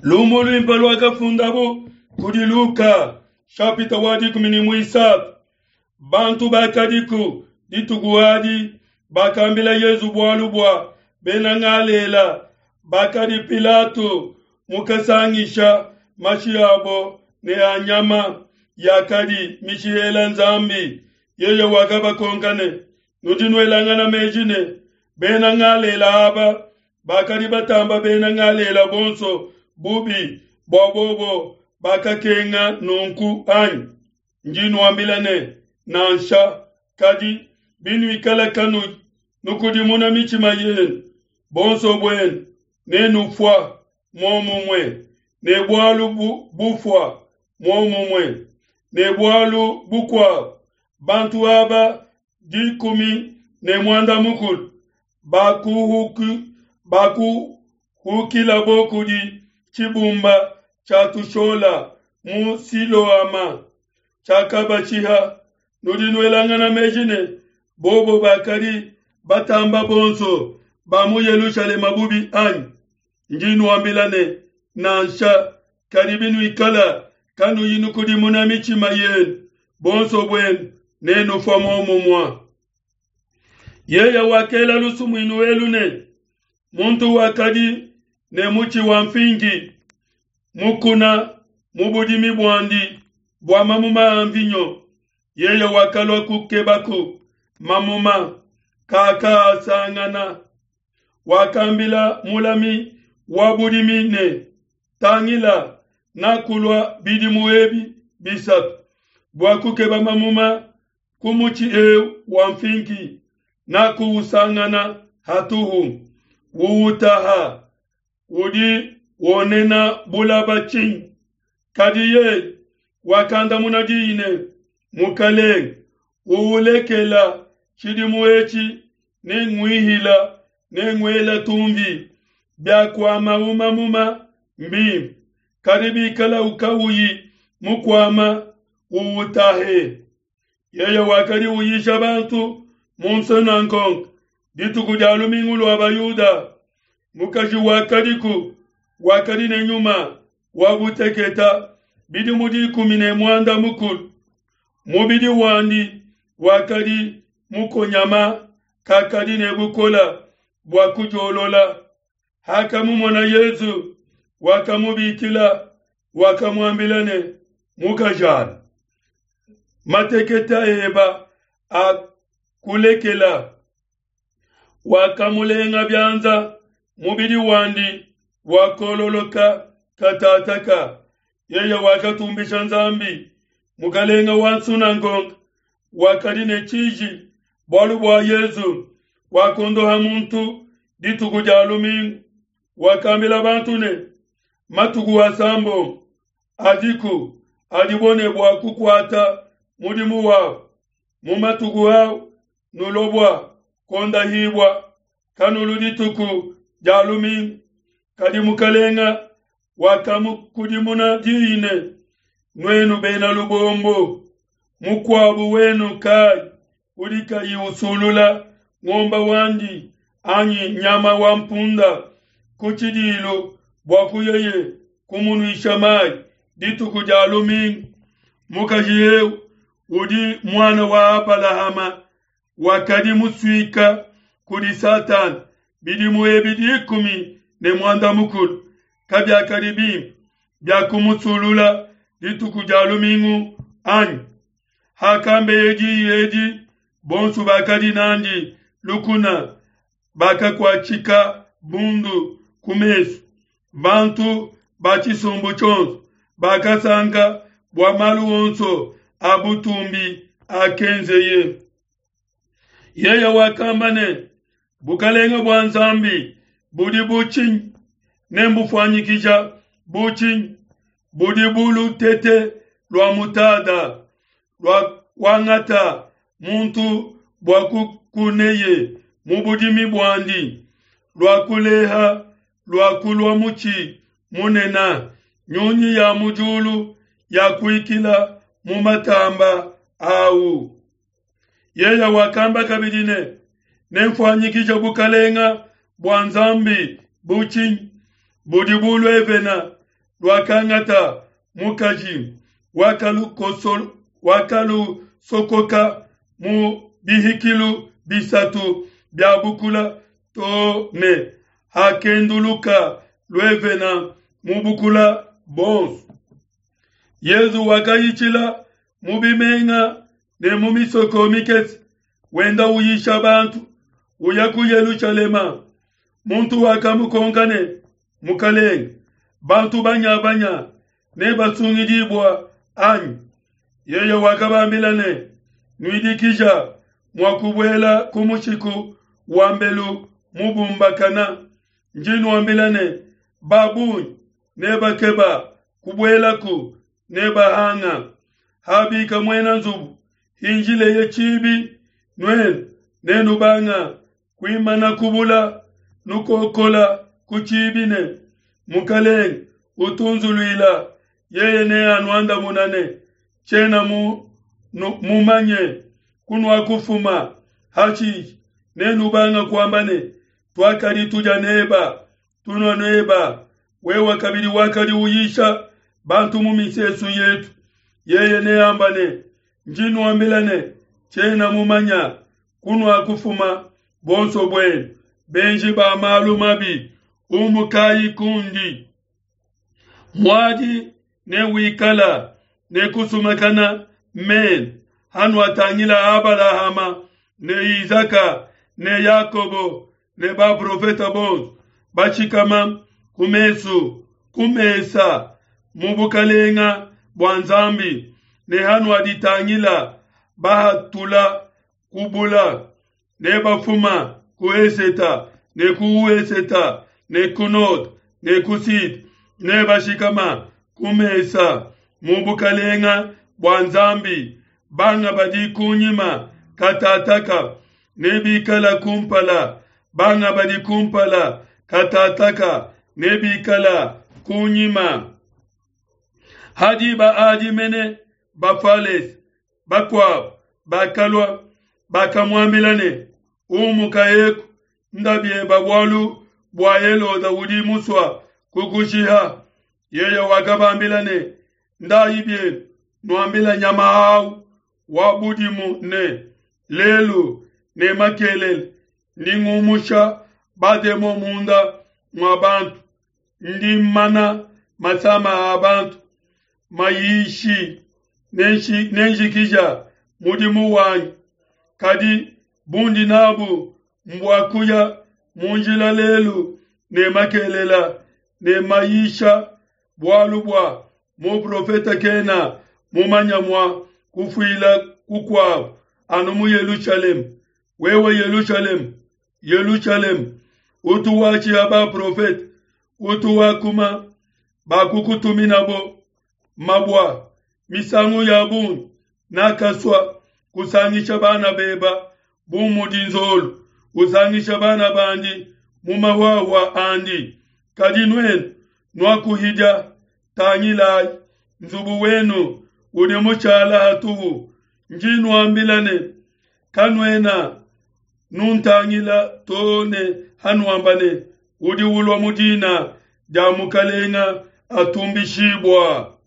Lumu luimpe luakafundabu kudi Luka, shapita wa 13. Bantu bakadiku dituku adi bakambila Yezu bualu bua bena Ngalela bakadi Pilato mukasangisha mashi abo ne a nyama yakadi mishihela Nzambi. Yeye wakabakonka ne, Nudi nuelangana meji ne, bena Ngalela aba bakadi batamba bena Ngalela bonso bubi bua bobo bakakenga nunku anyi? Ndi nuambila ne, nansha. Kadi binuikala kanuyi nukudimuna mitshima yenu, bonso buenu nenufua muomumue. Ne bualu bufua muomumue ne bualu bukuabu, bantu aba 16 bakuhukilabo kudi tshibumba tshia tushola mu Siloama tshiakabashiha. Nudi nuelangana meji ne, bobo bakadi batamba bonso ba mu Yelushalema bubi anyi? Ndi nuambila ne, nansha. Kadi binuikala kanuyi nukudimuna mitshima yenu, bonso buenu nenufua muomumue. Yeye wakela lusumuinu elu ne, muntu wakadi ne mutshi wa mfingi mukuna mu budimi buandi bua mamuma a mvinyo. Yeye wakalua kukebaku mamuma, kakaasangana. Wakambila mulami wa budimi ne, Tangila, nakulua bidimu ebi 3 bua kukeba mamuma ku mutshi eu wa mfingi, nakuusangana hatuhu. Uutaha, udi wonena bulaba tshinyi? Kadi yeye wakandamuna diyi ne, Mukalenge, uulekela tshidimu etshi, nenguihila nenguela tumvi. Biakuamau mamuma mbimpe, kadi bikala ukauyi mukuama, uutahe. Yeye wakadi uyisha bantu mu nsunangonga dituku dia lumingu lua Bayuda. Mukaji wakadiku wakadi ne nyuma wa buteketa bidimu 16. Mubidi wandi wakadi mukonyama, kakadi ne bukola bua kudiolola. Hakamumona Yezu, wakamubikila, wakamuambila ne, Mukajana, mateketa eba akulekela. Wakamulenga bianza, mubidi wandi wakololoka katataka. Yeye wakatumbisha Nzambi. Mukalenga wa nsunangonga wakadi ne tshiji bualu bua Yezu wakondoha muntu dituku dia lumingu. Wakambila bantu ne, matuku 6 adiku adibo ne bua kukuata mudimu wabo. Mu matuku au nulobwa kondahibwa, kanulu dituku dia lumingu. Kadi mukalenga wakamukudimuna diyi ne, nuenu bena lubombo, mukuabu wenu kai udi kayi usulula ngomba wandi anyi nyama wa mpunda ku tshidilu bua kuyeye kumunuisha mayi dituku dia lumingu? Mukaji eu udi muana wa Abalahama wakadi musuika kudi Satana bidimu ebi 16, kabiakadi bimpe bia kumusulula dituku dia lumingu anyi? Hakambeye diyi edi, bonso bakadi nandi lukuna bakakuatshika bundu ku mesu. Bantu ba tshisumbu tshionso bakasanka bua malu onso a butumbi akenzeye. Yeye wakamba ne, bukalenga bua Nzambi budi bu tshinyi? Nembufuanyikija bu tshinyi? Budi bu lutete lua mutada lua kuangata muntu bua kukuneye mu budimi buandi, lua kuleha lua kulua mutshi munene, nyunyi ya mu diulu ya kuikila mu matamba awu. Yeye wakamba kabidi ne, nemfuanyikije bukalenga bua Nzambi bu tshinyi? Budi bu luevena. luakangata mukaji, wakalusokoka mu bihikilu bisatu bia bukula to ne hakenduluka luevena mu bukula bonso. Yezu wakayitshila mu bimenga ne mu misoko mikese, wenda uyisha bantu, uya ku Yelushalema. Muntu wakamukonka ne, Mukalenge, bantu banyabanya nebasungidibua anyi? Yeye wakabambila ne, Nuidikija mua kubuela ku mushiku wa mbelu mubumbakana. Ndi nuambila ne, ba bungi nebakeba kubuelaku, nebahanga. Habika muena nzubu, hinjileye tshibi, nuenu nenubanga kuimana kubula, nukokola ku tshibi ne, Mukalenge, utunzuluila. Yeye neanuandamuna ne, Tshiena mu, mumanye kunuakufuma. Hashishe nenubanga kuamba ne, Tuakadi tudia neba, tunua neba, wewe kabidi wakadi uyisha bantu mu misesu yetu. Yeye neamba ne, Ndi nuambila ne, tshiena mumanya kunuakufuma bonso buenu, benji ba malu mabi, umukayi kundi. Muadi newikala ne kusumakana mena hanuatangila Abalahama ne Isaka ne Yakobo ne baprofete bonso bashikama ku mesu ku mesa mu bukalenga bua Nzambi, ne hanuaditangila bahatula kubula ne bafuma ku eseta ne ku ueseta ne ku node ne ku sud ne bashikama ku mesa mu bukalenga bua Nzambi. Banga badi kunyima katataka nebikala kumpala, banga badi kumpala katataka nebikala kunyima. Ha diba adi mene Bafalese bakuabo bakalua, bakamuambila ne, Umuka eku, nda bieba bualu bua Helode udi musua kukushiha. Yeye wakabambila ne, Ndayi bienu, nuambila nyama au wa budimu ne, Lelu ne makelele ndi ngumusha bademon munda mua bantu, ndi mmana masama a bantu, mayishi nenjikija mudimu wanyi. Kadi bundi nabu mbua kuya mu njila lelu ne makelela ne mayisha, bualu bua muprofete kena mumanya mua kufuila kukuabu anu mu Yelushalema. Wewe Yelushalema, Yelushalema, utu washiha baprofete, utu wakuma bakukutuminabo mabua misangu ya bungi, nakasua kusangisha bana beba bu mudi nzolu usangisha bana bandi mu mahuahua andi, kadi nuenu nuakuhidia. Tangilayi, nzubu wenu udi mushala hatuhu. Ndi nuambila ne, kanuena nuntangila to ne hanuamba ne, Udi ulua mu dina dia Mukalenga atumbishibua.